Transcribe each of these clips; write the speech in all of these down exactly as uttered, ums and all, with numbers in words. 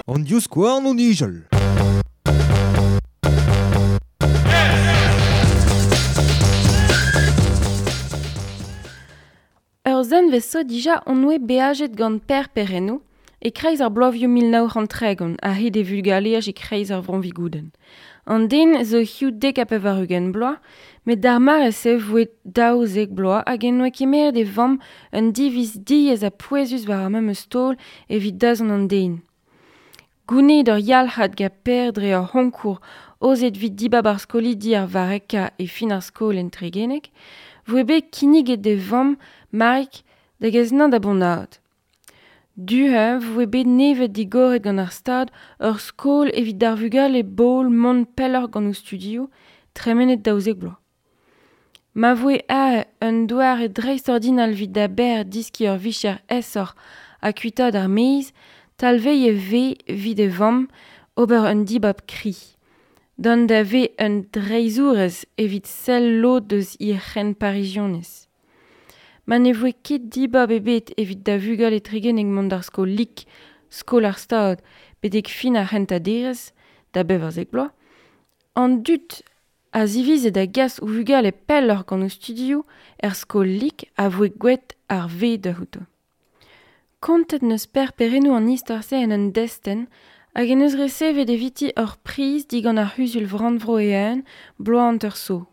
An divskouarn o nijal. Ur zenvez zo dija on oe beajet gant Per Perrenno e kreiz ar bloavioù mil nav c'hant tregont a hed e vulgaleaj e kreiz ar Vro-Vigoudenn. An den zo hiziv dek ha pevar-ugent bloaz, met d'ar mare-se voe daouzek bloaz hag en oe kemeret e vamm un diviz diaes ha pouezus war ar memes taol evit dazont an den. Gounezet ur yalc'had gant Per dre ur c'honkour aozet evit dibab ar skolidi ar varrekañ e fin ar skol en Tregeneg, voe bet kinniget d'e vamm, Marik, da gas-nañ da Bontad. Du-heñv voe bet nevet digoret gant ar Stad ur skol evit d'ar vugale bol mont pelloc'h gant o studioù, tremenet daouzek bloaz. Ma voe aze un doare dreistordinal evit da Ber diskiñ ur vicher aesoc'h ha kuitaat ar maez, talvez e vez evit e vamm ober un dibab kri. Dont da vez un dreizhourez evit sell lod eus he c'henparizionez. Ma ne voe ket dibab ebet evit da vugale Tregeneg mont d'ar skol lik, skol ar Stad, betek fin ar c'hentañ derez, da bevarzek bloaz, an dud a zivize da gas o vugale pelloc'h gant o studioù er skol lik a voe gwelet ar vez da c'houto. Kontet n'eus Per Perrenno an istor-se en un destenn hag en eus resevet eviti ur priz digant ar c'huzul rannvro e-eeun bloaz hanter zo.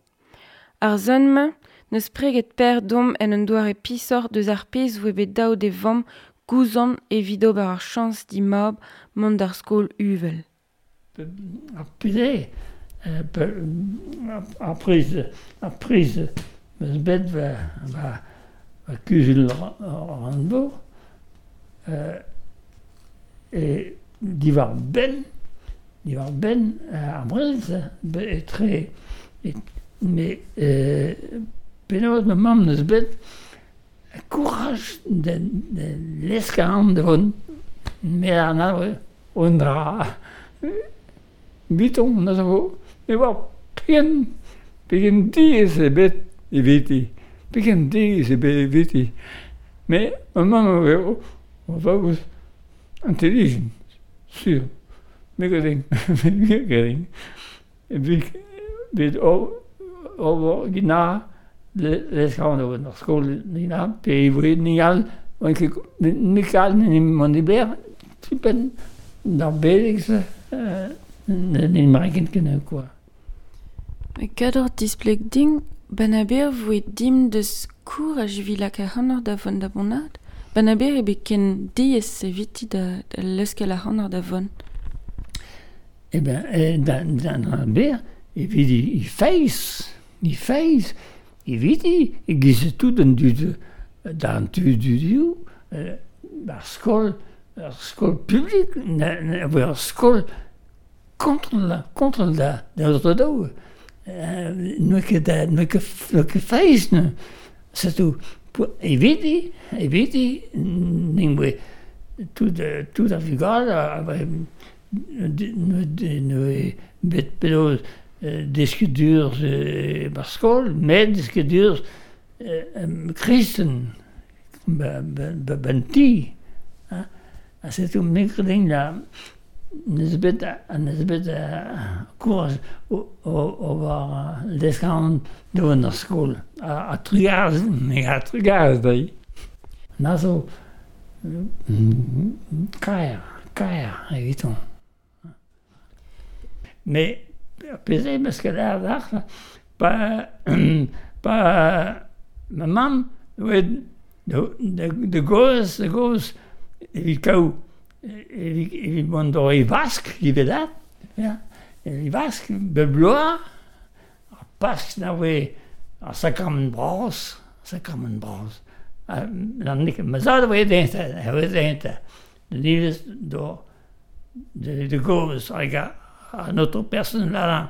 Ar zon-mañ n'eus preget Per domp en un doare pisoc'h deus ar pezh voe bet dav d'e vamm gouzañv evit ober ar chañs d'he mab mont d'ar skol uvel. Ar pezh ar priz ar priz meus bet va va kuzul rannvro e diwar benn diwar benn ar brezel etre met penaos ma mamm neus bet kouraj da leskañ an da vont met an un dra biton na zo me oa pegen pegen diaes eo bet eviti pegen diaes eo bet eviti met ma mamm eo o vaoz intelligent sur me gredin me gredin evit ober gina leskañ an da vont ar skol gina pe e voe ni all nik all mont e ber tipenn d'ar beleg-se ne marken ken quoi. Kador displeg din Banaber voe dimp deus kouraj evit lakaat ac'hanoc'h da vont da Bontad. Banaber eo bet ken diaes eviti da, da leuskel ac'hanoc'h da vont. Eh ben, da, da, da ber, evit i feiz, i feiz, eviti, e giz tout an dud, d'an tud dudioù, ar skol, ar skol publik, ar skol contre la, contre la, da daou. N'oa ket n'oa ket n'oa ket feiz, c'est tout. Eviti, eviti, nin voe tout tout ar vugale a voe n'oa bet penaos deskedur bar skol, met deskedur kristen ban ti. Ha setu me gredin la neus bet neus bet kouraj o war leskañ da vont d'ar skol. A trugarez, me a trugarez dezhi. Na zo kaer, kaer eviton. Mais pezh eo meus ket ar pa pa ma mamm oa da gozh da gozh evit kaout evit evit mont d'or e vask ivez dat ya e vask bep bloaz ar Pask na voe ar sakramant bras sakramant bras ma zad a voe dezhañ a voe dezhañ da iliz d'or da gozh hag an autre person là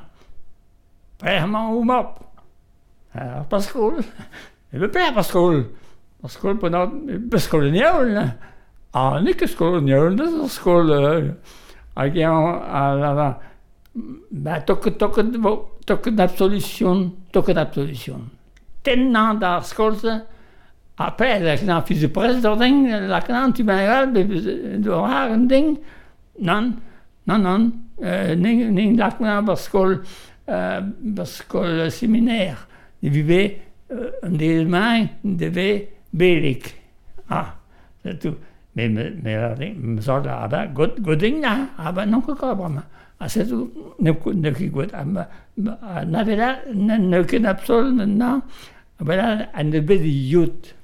pelec'h emañ ho mab ar Paskol e pelec'h Paskol Paskol Paskol en heol Ah, n'eo ket skol an heol, n'eus ur skol hag eñ a ba toket toket vo toket absolution toket absolution. Tennañ d'ar skol-se Après, la kna fils de presse ding, la kna tu ben do har un ding. Non, non, non, euh, ning ning la kna bar skol euh, bar skol séminaire. De vive un des mains de belik. Ah, c'est tout. Mais mais mais me sort là aber god goding na, aber non ket bremañ. Ah, c'est tout. Ne ne ket gwet. Na vela ne ket absol na. Aber là an de bet yut.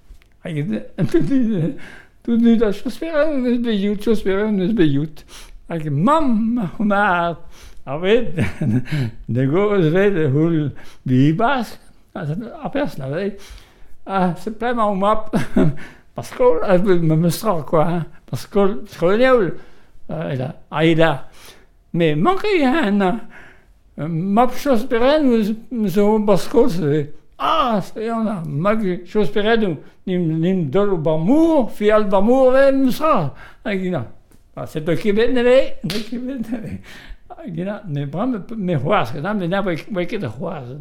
Tout nu da chospera neus bet yut, chospera neus bet yut. Hag mamm ma a vet de goz vet hul bibas a pers na vet. Ah, c'est plein ma map. Parce que me me quoi hein. Parce que skol euh là, ah là. Mais manque hein. Map chospera nous zo parce que ah, c'est on a mag chospera nous nim nim dol bamour, fial bamour vem sa. Hag na. Ah, c'est de Québec ne de Québec ne. Hag na, ne bram me c'hoazh, na me na voe ket c'hoazh.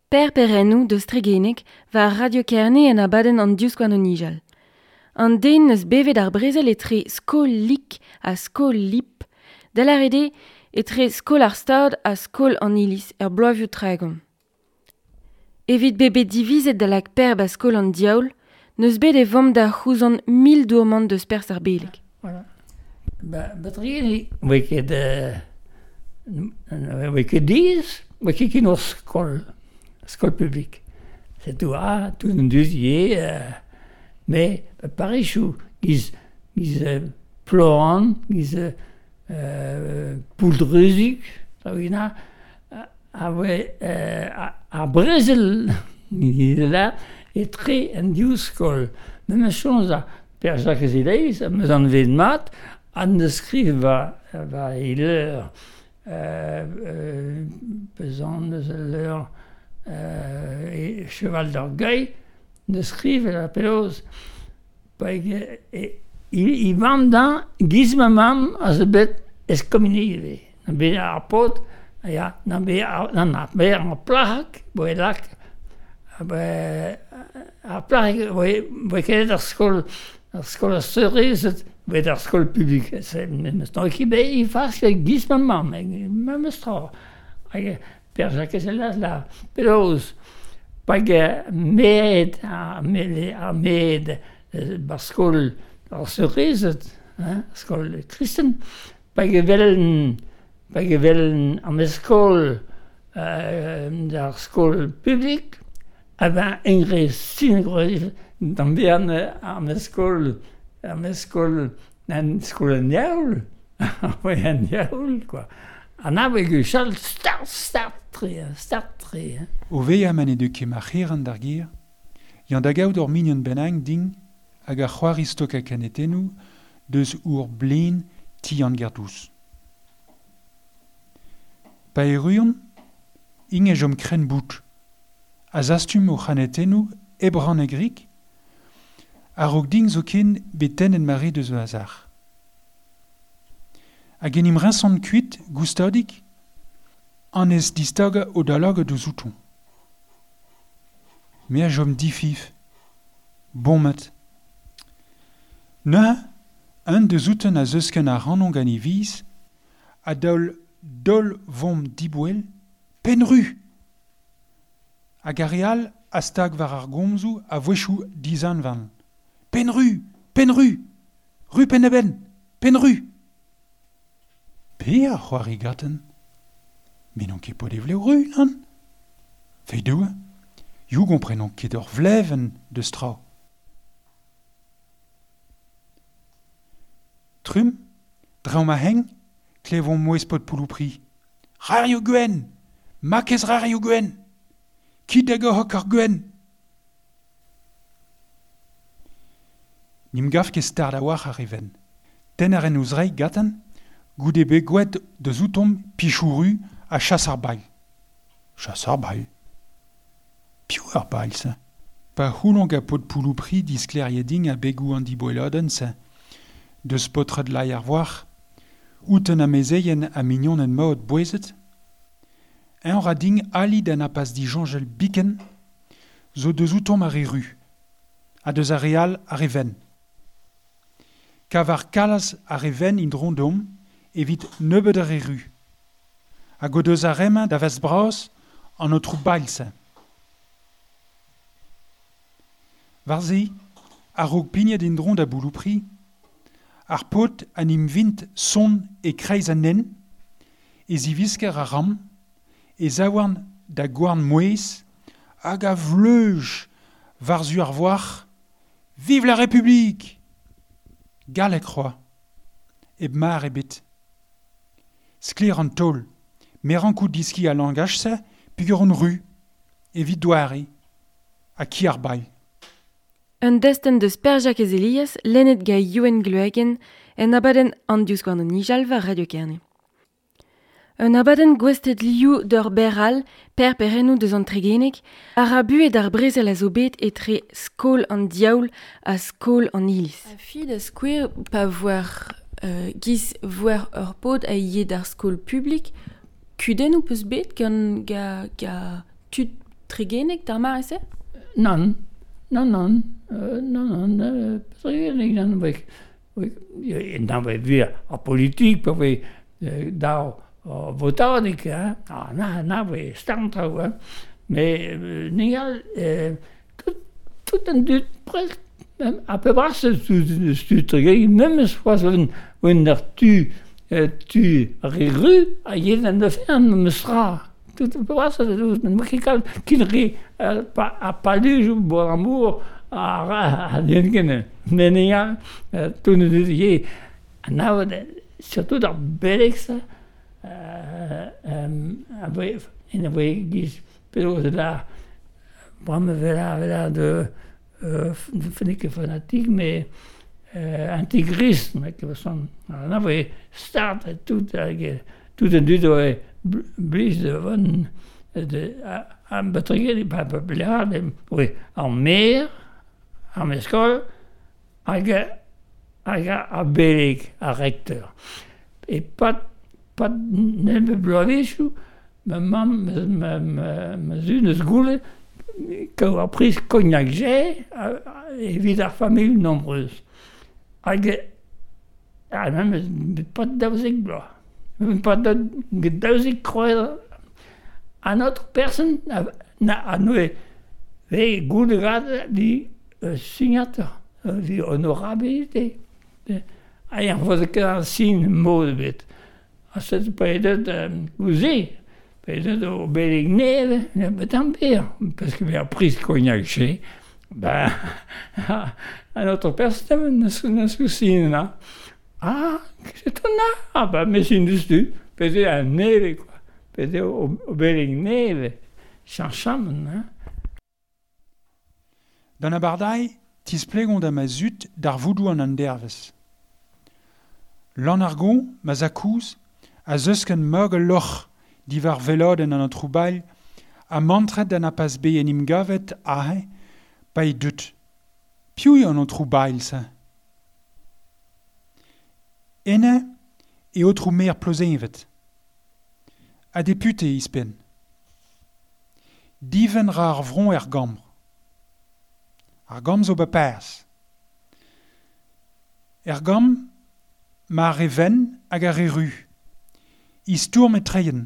Per Perennou deus Tregenek war Radio Kerne en abadenn an diouskoan o nijal. An den eus bevet ar brezel etre skol lik ha skol lip, da lâret eo etre skol ar stad ha skol an iliz er bloavioù tregont. Evit bet divizet da lak per ba skol an diaoul, neus bet e vamm da c'houzant mil dourmant deus pers ar beleg. Voilà. Ba, ba Tregenek, voe ket, euh, voe ket diz, voe ket ket ur skol. Skol public. C'est tout, ah, tout un duzier, euh, mais Paris-chou, giz, giz euh, ploran, giz euh, pouldreuzik, a, a voe, euh, a, a brezel, là, etre an div skol. Memes chons a Per Jacques Eleiz, meus an vet mat, an ne skriv va, va e leur, euh, euh, pesant eus al leur, Euh, et cheval d'orgueil ne skriv la peloz pa e, i, i vam dan giz ma mamm a zo bet eskominive na bet ar paotr ya na bet na na bet ar plac'hig boe lak ar plac'hig boe boe ket ar skol ar skol ar seurezed bet ar skol publik c'est memes tra ki bet i fas giz ma mamm memes tra hag Per Jacques Elas la peloz pag med a med a med bar skol ar seurezed hein skol kristen pag velen pag velen an skol euh ar skol publik a ben engre sin dan bean ar skol ar skol an skol an diaoul ouais an diaoul quoi. An a gwechall start, start tre, start tre. O veilhañ ma ne deu ket ma c'herent d'ar gêr, yann da gaout ur mignon bennak din hag ar c'hoari stok a kanetennoù deus our blen ti an gerdous. Pa erruont, ing e jom krenn bout. A zastum o c'hanetennoù ebran e grik, a-raok din zoken bet tennet mare deus o azar. Hag en im riñsont kuit, goustadik, an ez distagañ o dalag deus outoñ. Me a jom difif, bommet. Neuze, un deus outen a zeusken ar rannon gant e viz, a daol dol vom diboell, penru! Hag ar re all a stag war ar gomzoù a voechoù dizanvan. Penru! Penru! Ru penn-a-benn! Penru! Pe ar c'hoari gaten? Me n'on ket pod e vlev ru, nann? Feidoù, you gomprenon ket ur vlevenn deus tra. Trum, draoñ ma heng, klevomp mouezh pod pouloupri. Rario gwenn! Makez rario gwenn! Kit da goc'h ar gwenn! N'im gav ket start a-walc'h ar e venn. Tenn a ren ouzh reiñ gaten, goude bet gwet deus outomp pichoù-ru ha chas ar bailh. Chas ar bailh. Piv ar bailh, se? Pa c'houlon gant paotr pouloupri disklêriet a begoù an diboelladenn-se, deus paotred lai ar voar, outen amezeien ha mignoned maot bouezet, eñ ra din ali da na pas disoñjal biken, zo deus outomp ar re ru. ha deus ar re all ar re ven. Kavar kalaz ar re ven in dron evit nebeud ar re ru. Hag o deus ar remañ da vest bras an otrou bailse. War-se, a-raok pignet in dron da bouloupri, ar paotr an im vint son e kreiz an nen, e zivisker ar ram, e zaouarn da gouarn mouez, hag a vleuj war-zu ar voar, Vive la République! Gallek c'hoa, eb mar ebet. Sklaer an taol, me rankout diski a langaj-se peogwir on ru, evit doare, ha ki ar bailh. Un destenn deus Per-Jakez Elias, lennet gant Youenn Gloagen, en abadenn an divskouarn o nijal war Radio Kerne. Un abadenn gouestlet liv d'ur ber all, Per Perennoù deus an Tregeneg, a ra buet ar brezel a zo bet etre skol an diaoul ha skol an iliz. A fi da skouer pa voar euh, giz voar ur paotr a yez d'ar skol publik, kudennoù peus bet gant ga, ga tud Tregeneg d'ar mare-se? Nann, nann, nann, euh, nann, nann, euh, Tregeneg, nann, wek, wek, nann, wek, wir, ar politik, pa voe euh, dav votadeg, hein, ah, na, na voe starn traoù, hein, mais euh, n'egal, euh, tout, tout an dud presque, même à peu près tud, tud Tregeneg, memes c'hoazh oan, oan ar tu, euh, tu ar re ru, a yez an ofern memes tra. Tout à peu près, ne ket kalz kin re a palujoù bon amour a ra a den ken. Mais n'egal, tout ne deus ket anavet, surtout ar beleg-se, euh, a voe, en a voe giz penaos da bremañ vela vela de euh, n'eo ket fanatique mais euh, intégriste mek son. A voe start tout hag tout an dud oa blij da vont de an batreget pa pa blad oe ar maer, ar meskol hag hag ar beleg, ar rekteur. E pat pat nemet bloavezhioù, ma mamm, ma, ma, ma zud eus goulet kaout ar priz Cognac Jay evit ar familh nombreuse. Hag ha memes pat daouzek bloaz. Pat daouzek kroaz an autre person na, na a noe ve goude gad di euh, signateur, euh, di honorabilité. Ha ar voz ket ar sin mod ebet. Ha set pa edet euh, gouze, pa edet o beleg neve, bet an ber, parce que ar priz Cognac Jay, ben, an autre person neus neus sin na. Ah, c'est on Ah ben, mais sin deus du, peze an neve, quoi. Peze o, o beleg neve, chañchamant, hein. D'an abardae, tisplegont da ma zud d'ar voudou an an dervez. Lan ar gon, ma zakouz, a zeusken mog ul loc'h diwar velodenn an aotrou ha mantret da na pas bet en im gavet aze pa eo deut. Piv eo an aotrou bailh-se? Enne e aotrou maer Plozeñvet. Ha depute ouzhpenn. Divenn ra ar vron er gambr. Ar gambr zo ba-perzh. Er gambr, ma ar re wenn hag ar re ru. Istourm e treien.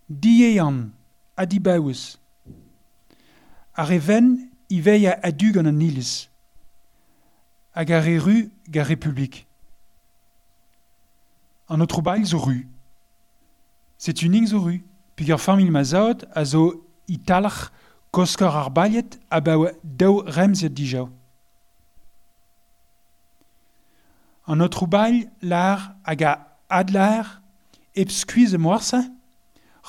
Diehan ha dibaouez. Ar re wenn ivez a a-du gant an iliz. Hag ar re ru gant Republik. An aotrou Bailh zo ru. Setu ning zo ru, peogwir familh ma zad a zo italc'h koskor ar bailhed abaoe daou remziad dija. An aotrou Bailh lar hag a adlar hep skuizh morse,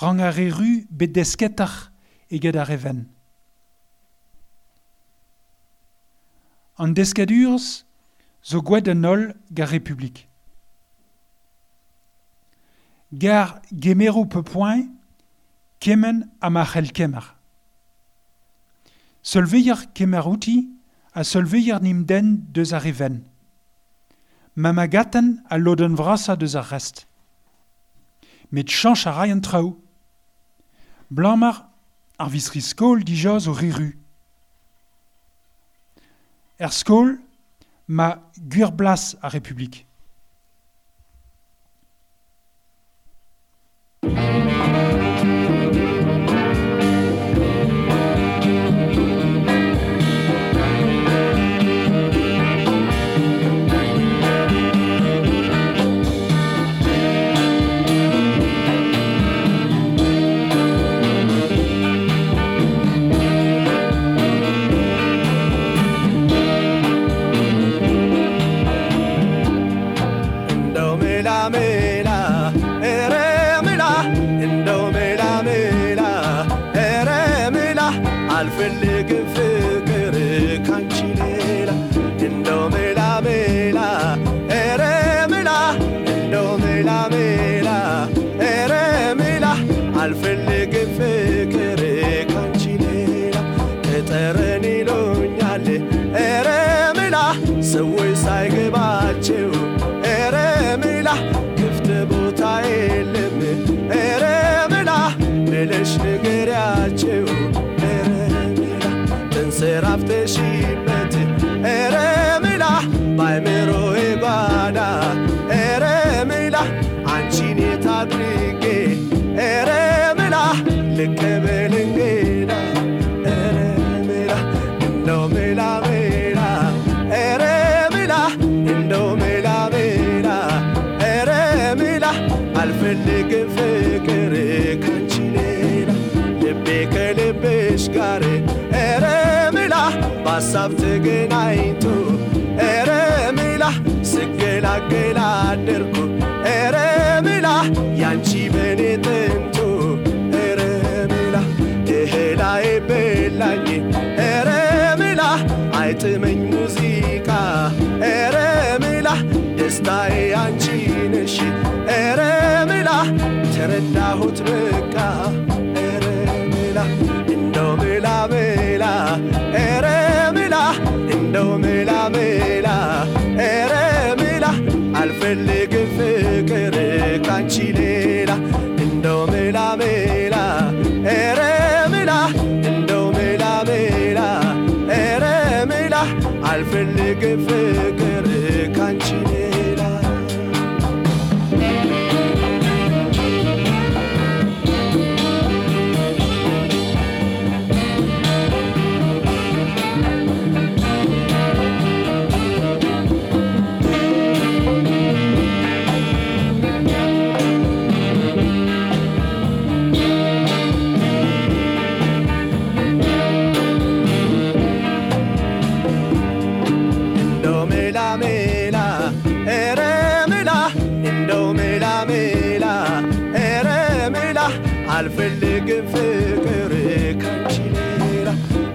rang ar re ru bet desketoc'h eget ar re wenn. An deskadurezh zo gwaet an holl gant Republik. Gar gemero pe poent, kement ha ma c'hell kemer. Seul-vuioc'h kemer outi ha seul-vuioc'h n'im denn deus ar re wenn. Ma ma gaten al lodenn vrasañ deus ar rest. Met chañch a ray an traoù. Blamar ar vistri-skol dija zo re ru. Er skol ma gwir blas ar Republik. ሀሳብ ተገናኝቶ ኧረ ምላ ስገላገል አደርኩ ኧረ ምላ ያንቺ በኔ ጥንቱ ኧረ ምላ እህላዬ በላኝ ኧረ ምላ አይጥመኝ ሙዚቃ ኧረ ምላ ደስታዬ አንቺ ነሽ ኧረ ምላ ተረዳሁት በቃ ኧረ ምላ እንደው ምላ ምላ ኧረ ምላ እንደው ምላ ምላ ኧረ ምላ አልፈልግም ፍቅር ካንቺ ሌላ እንደው ምላ ምላ ኧረ ምላ እንደው ምላ ምላ ኧረ ምላ አልፈልግም ፍቅር ካንቺ ሌላ አልፈልግም ፍቅር ካንቺ ሌላ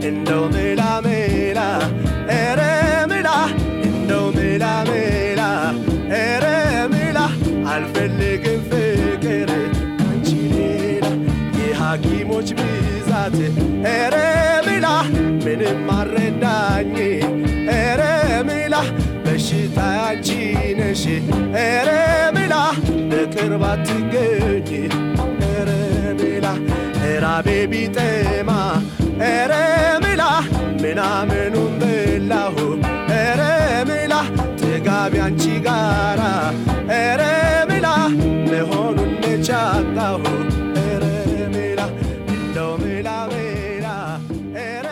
እንደው ምላ ምላ ኧረ ምላ እንደው ምላ ምላ ኧረ ምላ አልፈልግም ፍቅር ካንቺ ሌላ የሐኪሞች ብዛት ኧረ ምላ ምንም አልረዳኝ ኧረ ምላ በሽታ አንቺ ነሽ ኧረ ምላ በቅርብ አትገኝ ራቤ ቢጠማ ኧረ ምላ ምናምኑን በላሁ ኧረ ምላ ጥጋቢ አንቺ ጋራ ኧረ ምላ መሆኑን መቻጣሁ ኧረ ምላ እንደው ምላ ምላ ኧረ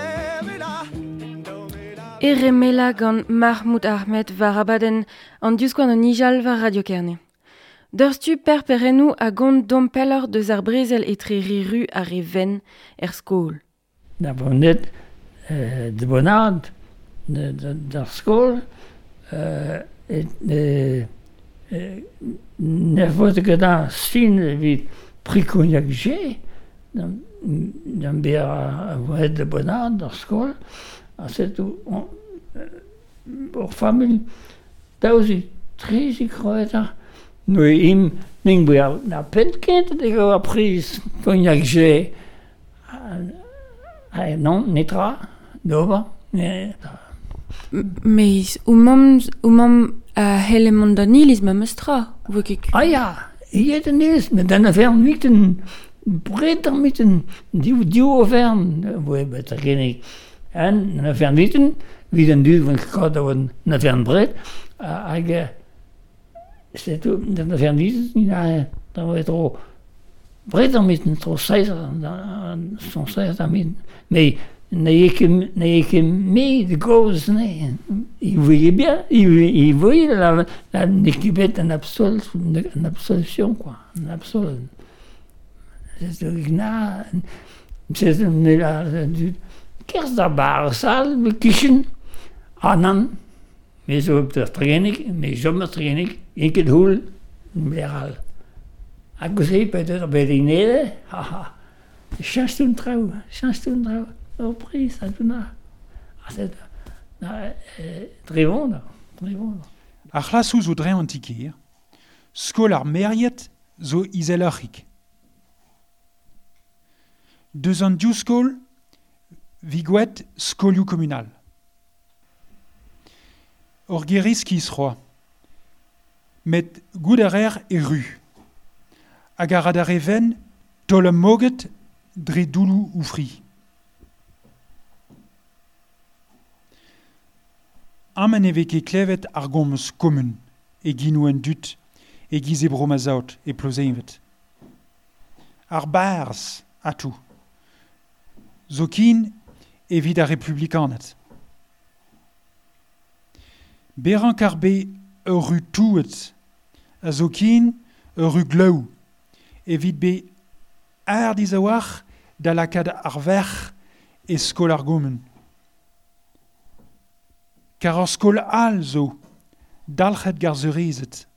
ምላ እንደው ምላ Ere mela gant Mahmoud Ahmed war abadenn an diouskoan an Nijal war Radio Kerne. Deurstu per perennou a gont dompeller deus ar brezel etre riru ar re ven er skol. Da vonet euh, de bonad d'ar skol euh, et, euh, ne vote ket an sin evit prikognak je d'an ber a vonet de bonad d'ar skol a setu ur familh daouzi trezi kroeta. No im ning boa na pentkent de go a priz cognac je ah non netra d'ober Mais o mamm o mamm a helle mont d'an iliz ma meus tra vo ket Ah ya iet an iliz met d'an avern miten bret ar miten div div overn voe bet a genek an an avern miten Vid an dud vant ket da oan na fern bret, hag setu, na fern vizet, ni na da oa tro bret an mit, tro seiz, son seiz an mit, mais n'aie ket, n'aie ket me de goz, ne. Il voyait bien, il, il voyait la, la, n'eo bet an absol, an absolution, quoi, an absol. C'est na, c'est la, kerz da bar sal, me kichen, anan, me zo op der tregenik, me jom ar tregenik, enket houl, bler all. Hag ouz e, bet ur bet inede, haha, chañstoun traoù, chañstoun traoù. Ur priz, a na. A set, na, drevon, drevon. Ar c'hlasoù zo dreñ an tikir, skol ar meriet zo izeloc'hik. Deus an div skol, vigouet skolioù komunal. Ur geriz ki isroa, met gout ar er e ru. Hag ar ad ar even, tol am moget dre doulou ou fri. Amen e vez ket klevet ar gomz komun, e ginou en dut, e giz e bro ma zaot, e plozeinvet. Ar barz, atou. Zo kin evit ar republikanet. Beran kar be ur ru touet, a zo kin ur ru glaou, evit be ar dizaouar da lakad ar verc'h e skol ar gomun. Kar ar skol all zo, dalc'het gar zeurizet.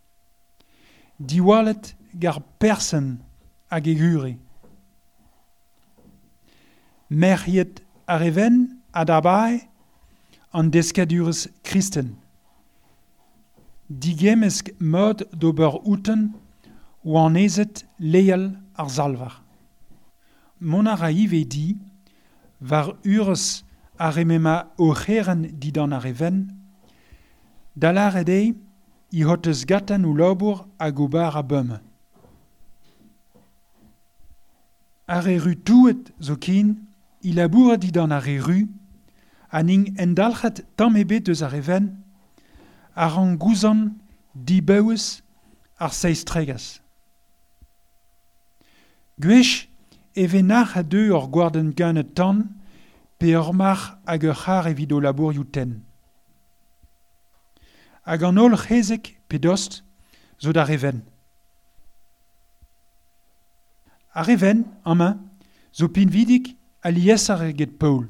Diwallet gar persen hag egure. Merc'hiet ar even ad abae an deskadurez kristen. Digemesk mod d'ober outen oan ezet leial ar zalvar. Mont a ra ive di, war urez ar remema o c'heren didan ar even, dalar ed eo i hotez gatan ou labour hag ober a beume. Ar e ru touet zo kin, i labour didan ar e ru, ha ning endalc'het tamm ebet eus ar even, ar an gouzan dibeuez ar seiz tregaz. Gwech e venac'h a deu ur gwarden ganet tan, pe ur marc'h hag ur c'har evit o labourioù tenn. Hag an holl c'hezek pe dost zo d'ar even. Ar even, amañ, zo pinvidik a liesar eget Paul,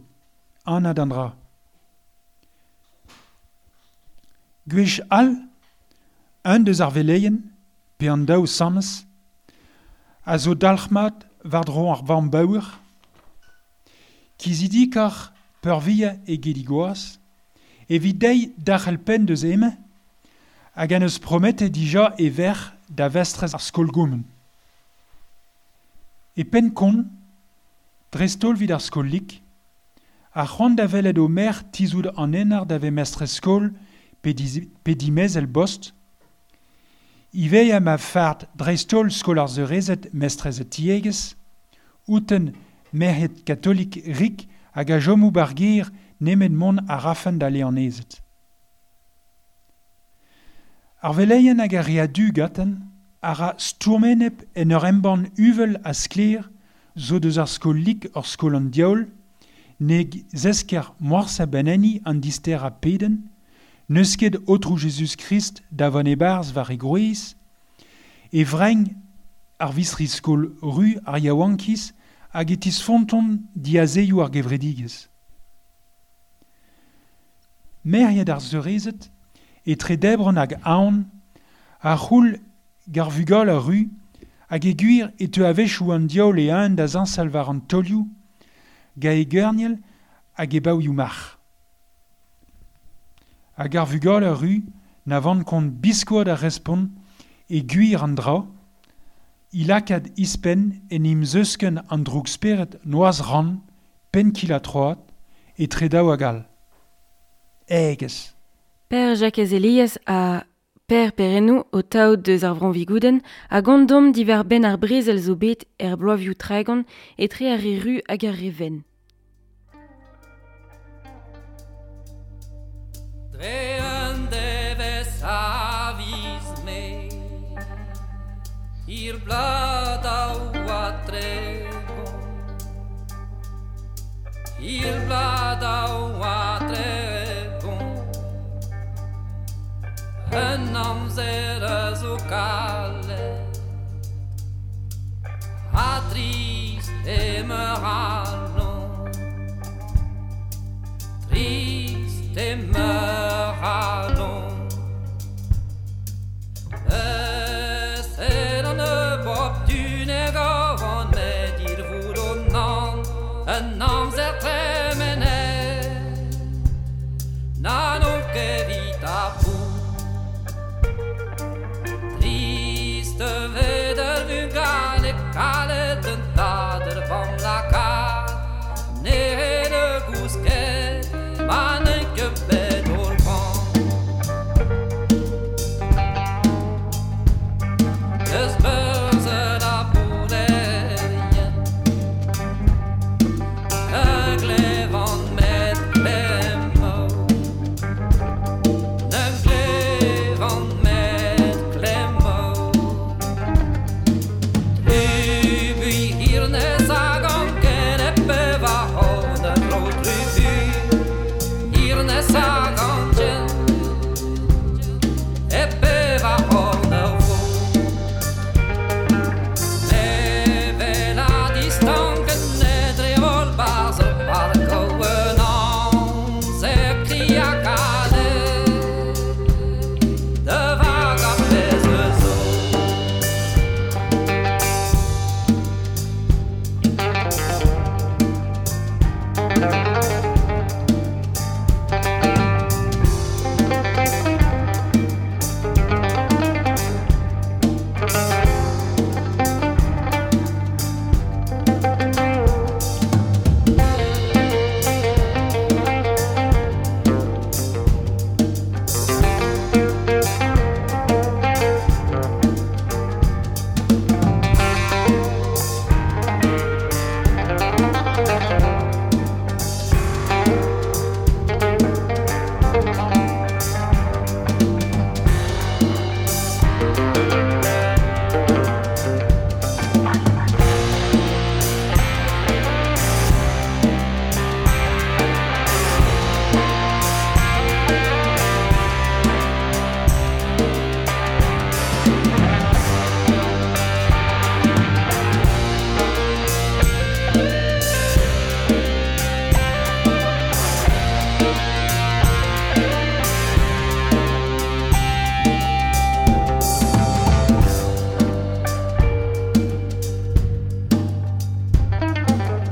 anad an dra. Gwech all, un deus ar veleien, pe an daou samez, a zo dalc'hmat war dro ar vamm baour, kizidik ar peurvia e gedigoaz, evit deiz dac'hel penn deus eme, hag an eus promete dija e verc'h da vestrez ar skol gomen. E penn kont, dreist-holl vid ar skol lik, ar c'hoant da welet o merc'h tizout an enar da ve mestrez skol pe, diz, pe dimez el bost, ivez ma fard dreist-holl skol ar zeurezet mestrez e tiegez, outen merc'hed katolik rik hag a jomou bar ger nemet mont a rafen da leanezet. Ar veleien hag ar re a-du gaten a ra stourmenep en ur embann uvel a skler zo deus ar skol lik ur skol an diaoul, neg zesker moarz a beneni an dister a peden, neus ket otrou Jezuz Christ da van ebarz war e groez, e vreng ar visri skol ru ar yaouankiz hag e tisfonton diazeioù ar gevredigez. Merc'hed ar zeurezet, etre debron hag aon, a c'houl gar vugal ar ru, hag e gwir e teu a-wechoù an diaoul e un da zañsal war an tolioù, ga e geurniel hag e baoioù marc'h. Hag ar vugal ar ru na van kont biskoad ar respont e gwir an dra, i lakad ispenn en im zeusken an droug speret noaz ran, pen kil a troad, e tre daou hag all. Egez. Per Jacques Elias a Per Perennou o taout deus ar vron vigouden a gondom diver ben ar brezel zo bet er bloavioù tregont etre ar re ru hag ar re ven. bla daou ha tregont Il bla daou ha tregont Un amzer a zo kalet Ha trist e meur alon Trist e meur alon C'est an bop du negovan met il voulon nan un amzer tremenet na non ket vit ar fou Triste veder vugale kalet un tader vam lakaat ne de gousket ma ne ket bet ol pan Eus beurze la boulerien E glevan met klemmo Ne glevan met klemmo Trubu hirnez hag anken e pevar c'horn a dro trubu Hirnez hag anken e pevar c'horn ur vro Evel a distanken e dre holl barz ur parko un amzer kri ha kalet De vag ar pezh eus zo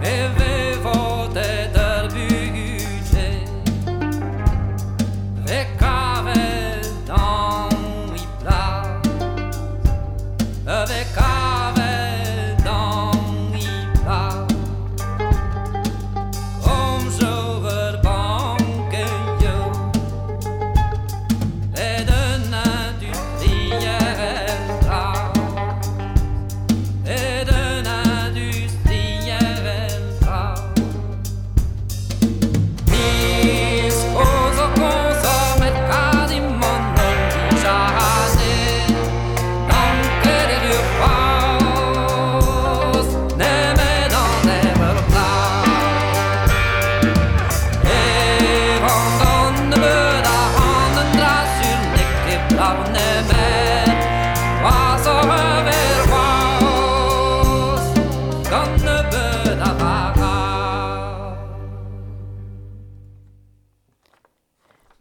E vevotet ur bugel Ve kavet dan i plas Ve kavet dan i plas Komzo ur bankejo Et un industriel dra Et un industriel dra Mis koz o konsomet kadimon ol dijane Danket er ur c'hoazh Nemet an evel plas E vant an nebeud a ran un dra sur n'eo ket brav nemet C'hoazh oc'h evel c'hoazh Gant nebeud a vara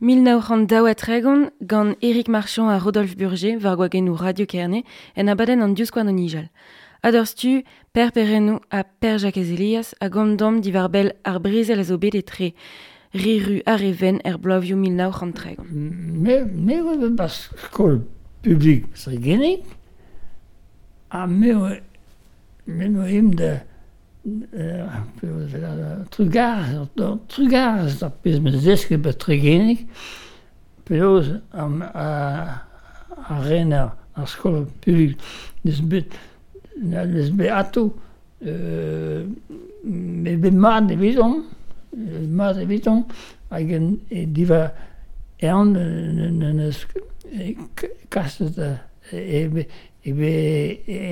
Mil nav c'hant daou ha tregont gant Éric Marchand ha Rodolphe Burger war gwagennoù Radio Kerne en abadenn an divskouarn o nijal. A-dorstu, Per Perrennoù ha Per Jakez Elias a gomz diwar-benn ar brezel a zo bet etre Riru ha Reven er bloavioù mil nav c'hant tregont. Me, me oa bet bas skol publik Tregenig, ha me oa, me oa em da, euh, trugarez, trugarez d'ar pezh meus desket bet Tregenig, penaos ar, ar, ar rener ar skol publik neus bet, neus bet ato, euh, me bet mat evidon, mat evidon, hag en, e diva ean neus kaset e, e, E be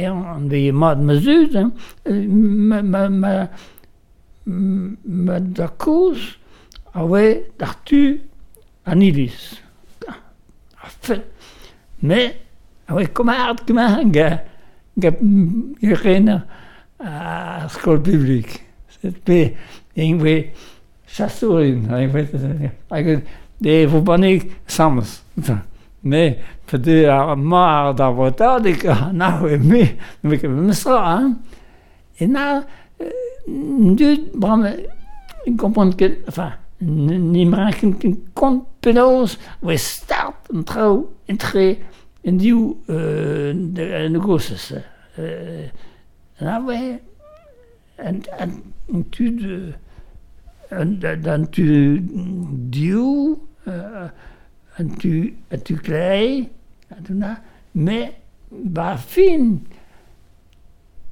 an be mat ma zud, hein, ma, ma, ma, ma da koz a oe d'ar tu an iliz. A fet. Me a oe komard kemar ga, ga, ga rener ar skol publik. Set pe en oe chassourin, hag de vo bannig sams. Me, pa de ar mar d'ar votadig, na oe me, me ket mestra, hein. E na, dud, bram, kompont ket, enfin, ni mranken ket kont penaos, oe start an traoù entre en div euh, en gosses. Euh, na oe, an, an, an tud, an, an tu div, euh, an tu, an tu klei, an na, me, ba fin,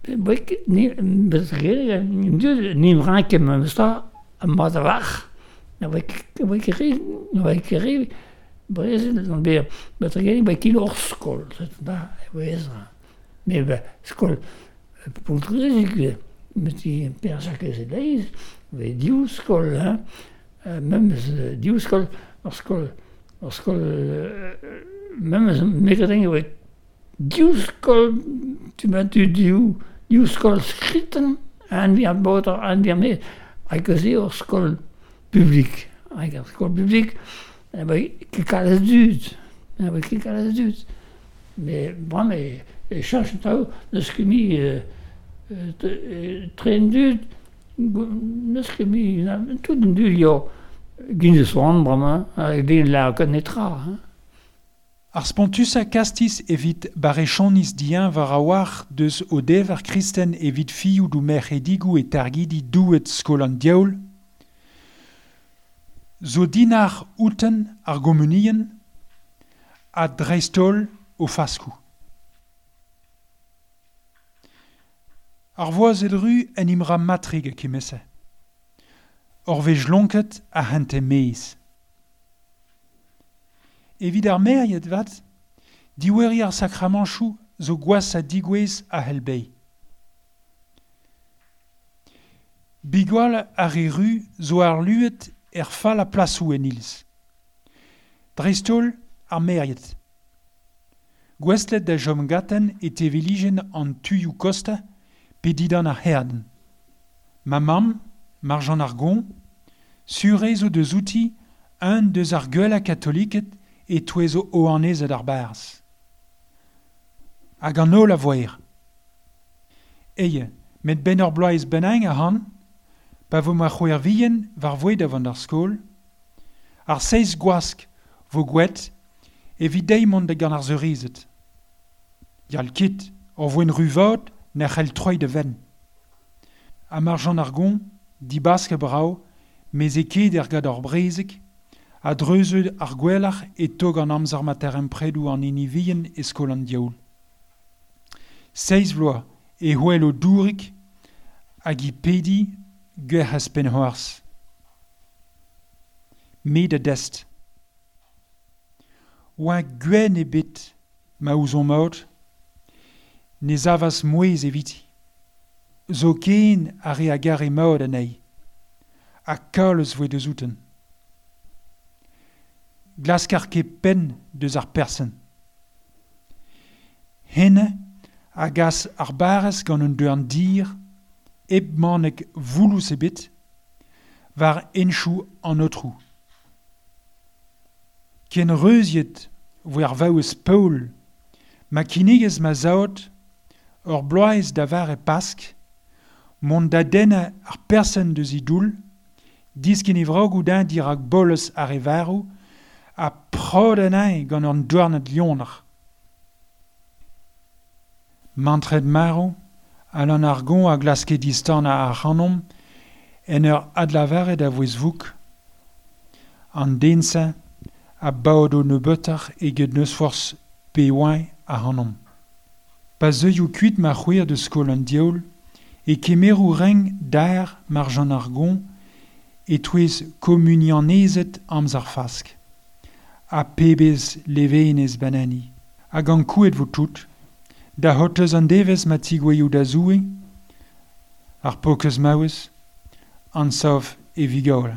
Bek, ni, bezgere, ni mranke me sta, ma da wach, na oe ket ri, na oe ket ri, brezel, an be, betregere, oe ket ur skol, da, oe ezra. Me, be, skol, poltrezik, met i persak eus e leiz, oe div skol, hein, memes div skol, ur skol, ur skol, memes megadeng oe div skol, tu ma tu div, div skol skriten, an vi an boter, an vi an me, hag eus eo ur skol publik. Hag ur skol publik, oe ket kalz dud, oe ket kalz dud. Me, bram, e, e chanch traoù, n'eus ket mi euh, tren dud, n'eus ket mi, tout an dud yo, gin eus oan bram, hag den la netra, hein. Ar spontusa kastis evit barechonis dien war a war deus o dever kristen evit fioù dou merc'hedigou e targidi douet skol an diaoul, zo dinar outen ar gomunien ha dreistol o faskou. Ar voaz edru en imra matrig a kemese. Ur vej lonket a hente meiz. Evit ar meriet vat, diweri ar sakramanchou zo gwas a digouez a helbei. Bigwal ar e ru zo ar luet er fall a plasou en ilz. Dreistol ar meriet. Gwestlet da jom gaten e teveligen an tuioù kosta pe didan ar herden. Ma mamm, Marjan Argon, sure zo deus outi un deus ar gueul a katoliket e touezo oanezet ar barz. Hag an holl a voer. Eie, met ben ur bloaz benang a han, pa vo ma c'houer vihen war voed avant ar skol, ar seiz gwask vo gwet evit deiz mont da gant ar zeurizet. Yal kit, ur voen ruvod n'er c'hell troi de ven. Ha Marjan Argon, dibask a brao, mez e ket er gad ar brezeg, a dreuzeud ar gwellac'h e tog an amzer mater empredou an inivien e skol an diaoul. Seiz vloaz e hoel o dourik hag i pedi gwerc'hez penhoarz. Me da dest. Oa gwen ebet ma ouzon maot, ne zavas mouez eviti. Zo ken a re a gare maot anezhi, ha kalz voe deus outen. Glaskar ket penn deus ar persen. Henne a gas ar barez gant un deuan dir, hep manek voulous ebet, war enchou an otrou. Ken reuziet voe ar vaouez Paul, ma kinigez ma zaot, ur bloaz da var e Pask, mont da denna ar persen deus i doul, disken e vrog oudin dirak bolez ar e varou, a prod anezhi gant an douarnad lioner. Mantred maro, Alan Argon a glaske distan a ar c'hanomp, en ur adlavaret a vouez vouk. An dense a baod o nebeutoc'h eget neus forzh pe oain a c'hanomp. Pa zeuioù kuit ma c'houer de skol an diaoul, e kemeroù reng d'ar Marjan Argon e touez komunianezet amzer fask. A pebez levenez banani. Hag an kouet vo tout, Da hotez an devez ma tigoueioù da zoue, ar pokez maouez, an sav e vigaol.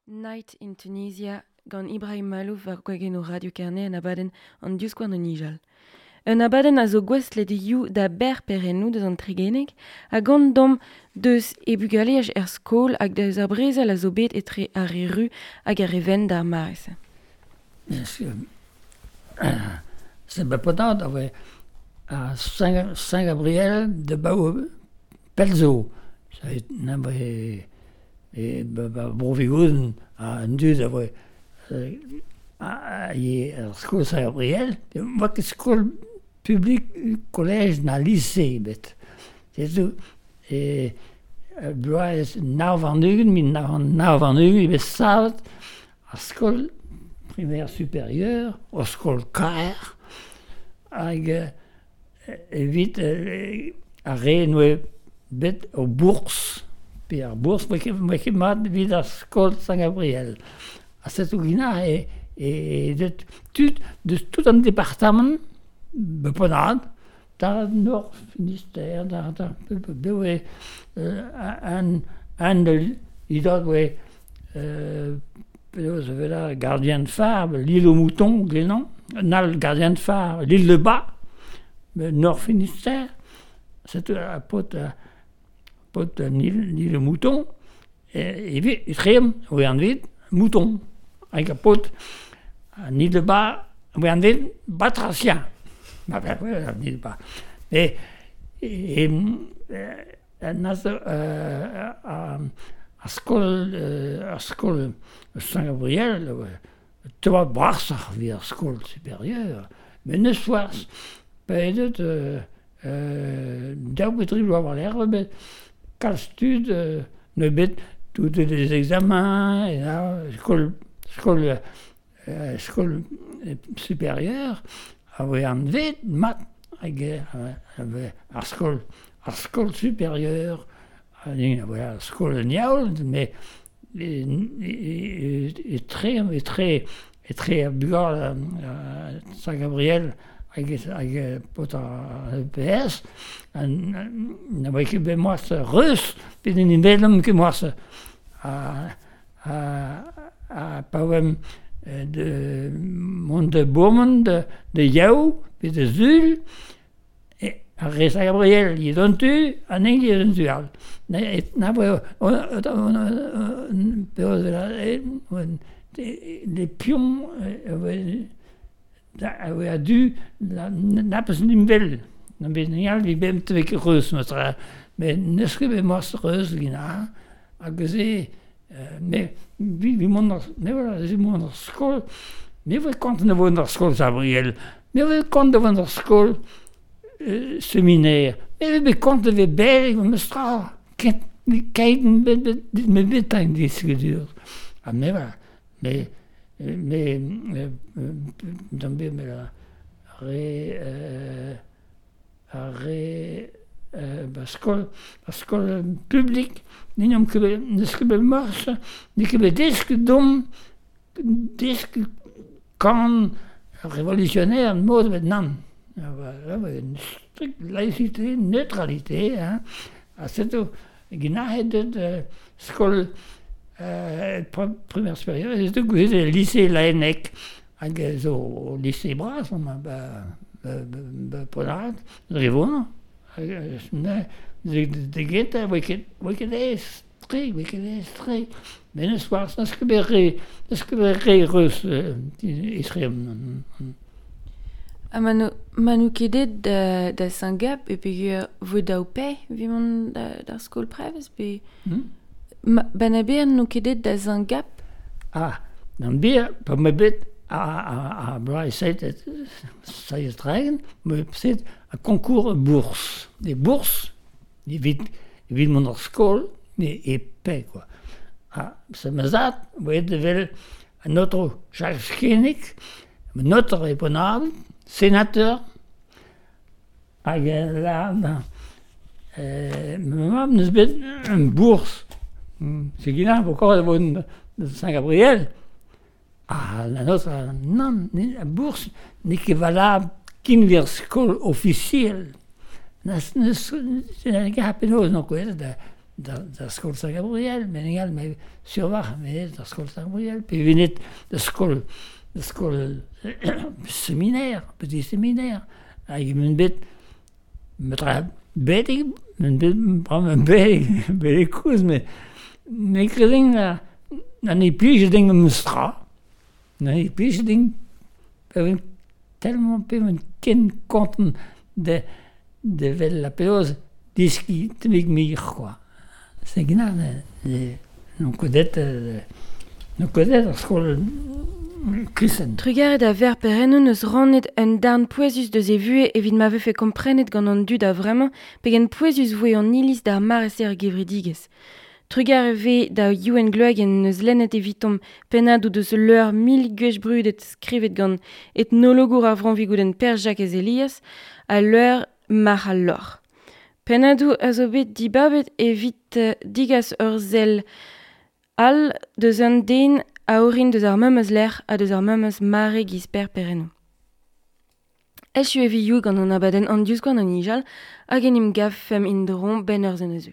Night in Tunisia gant Ibrahim Malouf war gwegen o Radio Kerne an abadenn an diouskouarn an ijal. Un abadenn a zo gwestlet you da ber perennou deus an tregeneg ha gant dom deus e bugaleaj er skol hag deus ar brezel a zo bet etre ar re ru hag ar re ven d'ar maez. C'est bepodad a voe a Saint-Gabriel de Bau Pelzo. Na voe e Bro-Vigouden a an dud a voe a ye ar skol Saint-Gabriel, voa ket skol publik collège na lycée bet. Setu e bloaz nav an ugent, min nav an nav an ugent, e bet savet ar skol primaire supérieure, o skol kaer, hag evit ar re noe bet o bourse, pe ar bourse, moe ket, moe ket mat evit ar skol Saint-Gabriel. A setu gina e, e, e deut tud deus tout an departement beponad, da Nord Finistère, da, da, be oe an, an de idad oe euh, penaos vela gardien de phare, l'île aux moutons, glenan, nal gardien de phare, l'île de Bas, Nord Finistère, c'est a pot a pot l'île l'île aux moutons, e e trem oe an vid mouton, hag a pot an île de Bas, oe an vid batracien. Ma ben, ouais, pas. Mais, et, et, a, a skol, a skol Saint-Gabriel, te oa brasoc'h evit ar skol supérieure, met neus forzh, pedet euh, euh, daou bet tri bloaz war-lerc'h, bet kalz tud euh, ne bet tout des examens, et là, skol, skol, euh, skol supérieure, a voe anvet mat hag ar skol, ar skol supérieure, a voe ar skol en yaoul, mais et, et, et, tre, et tre, et tre a bugal Saint-Gabriel hag, hag pot ar E P S, na voe ket bet moaz reus, bet en imelom ket moaz a, a, a pa oem de mont de bourmen de, de yaou, pe de zul, e ar re Saint-Gabriel yi don tu, an eng yi don tu al. Na, na voe, les pions a voe a du, na peus nimvel. Na bet nial vi bem te ket reus, metra. Met neus ket bet moaz reus gina, hag se, me, vi, vi mont ar, me voilà, vi mont ar skol, me voe kont ne voe ar skol Sabriel, me voe kont ne voe ar skol euh, séminaire, me voe bet kont ne voe beleg, me stra, kent, keit, me, me, me bet ein diskedur. Ha me voilà, me, me, d'an bet me la, re, euh, ar re, euh, ba skol, ba skol publik, n'eomp ket bet, n'eus ket bet morse, n'eo ket bet desk dom, desk kan révolutionnaire, mod bet nann. Voilà, une stricte laïcité, neutralité, hein. Ha setu, ginahet deut skol euh, primaire supérieure, setu gouezet lycée Laennec, hag zo lycée bras, ma, ba, ba, ba, Ponard, dre vonañ. De genta, voe ket, voe ket aes tre, voe ket aes tre. Met neus forzh, neus ket bet re, neus ket bet re reus etre. Ha ma no ket det da, da Saint-Gab, e peogwir vo daou pe evit mont da, d'ar skol prevez, pe... Hmm? Ma, ben a ber no ket det da Saint-Gab? Ah, d'an ber, pa me bet a, a, a bloaz seit, seiz tregont, me set a concours bourse. Des bourses, evit, evit mont ar skol, e, e pe, quoi. Ha, se ma zad, voe evel an otro Jacques Skenig, an otro e Ponard, sénateur, hag la, euh, ma mamm neus bet un bourse. Se gina, encore de Saint-Gabriel. Ah, la nôtre, non, la bourse n'est ket valable kin vir skol officiel. Neus, neus, ne ket penaos n'on kouezet da, da, da skol Saint-Gabriel, met egal, me survac'h, me da skol Saint-Gabriel, pe venet da skol, da skol séminaire, petit séminaire, hag men bet, metra betek, men bet, bra men betek, betek kouz, me, me kredin na, na ne plij ding me stra, na ne plij ding, pe ven tellement pe ven ken konten de, de vel la peoz diski temik mir, quoi. Se gina, n'on kodet, n'on kodet ar skol kristen. Trugaret a ver perennou neus rannet un darn pouezus deus e vue evit ma vefe komprenet gant an dud a vremañ pegen pouezus voe an iliz d'ar mare-se ar gevredigezh. Trugar ve da Youenn Gloagen neus lennet evitomp pennadoù deus leur mil gwech brudet skrivet gant etnologour ar Vranvigouden Per Jacques Elias a leur mar al lor. Pennadoù a zo bet dibabet evit digas ur sell all deus un den a orin deus ar memes lec'h ha deus ar memes mare giz Per Perennou. Echu evi you gant an abadenn an diouzh gant an ijal hag en im gav fem indron ben ur zen eus.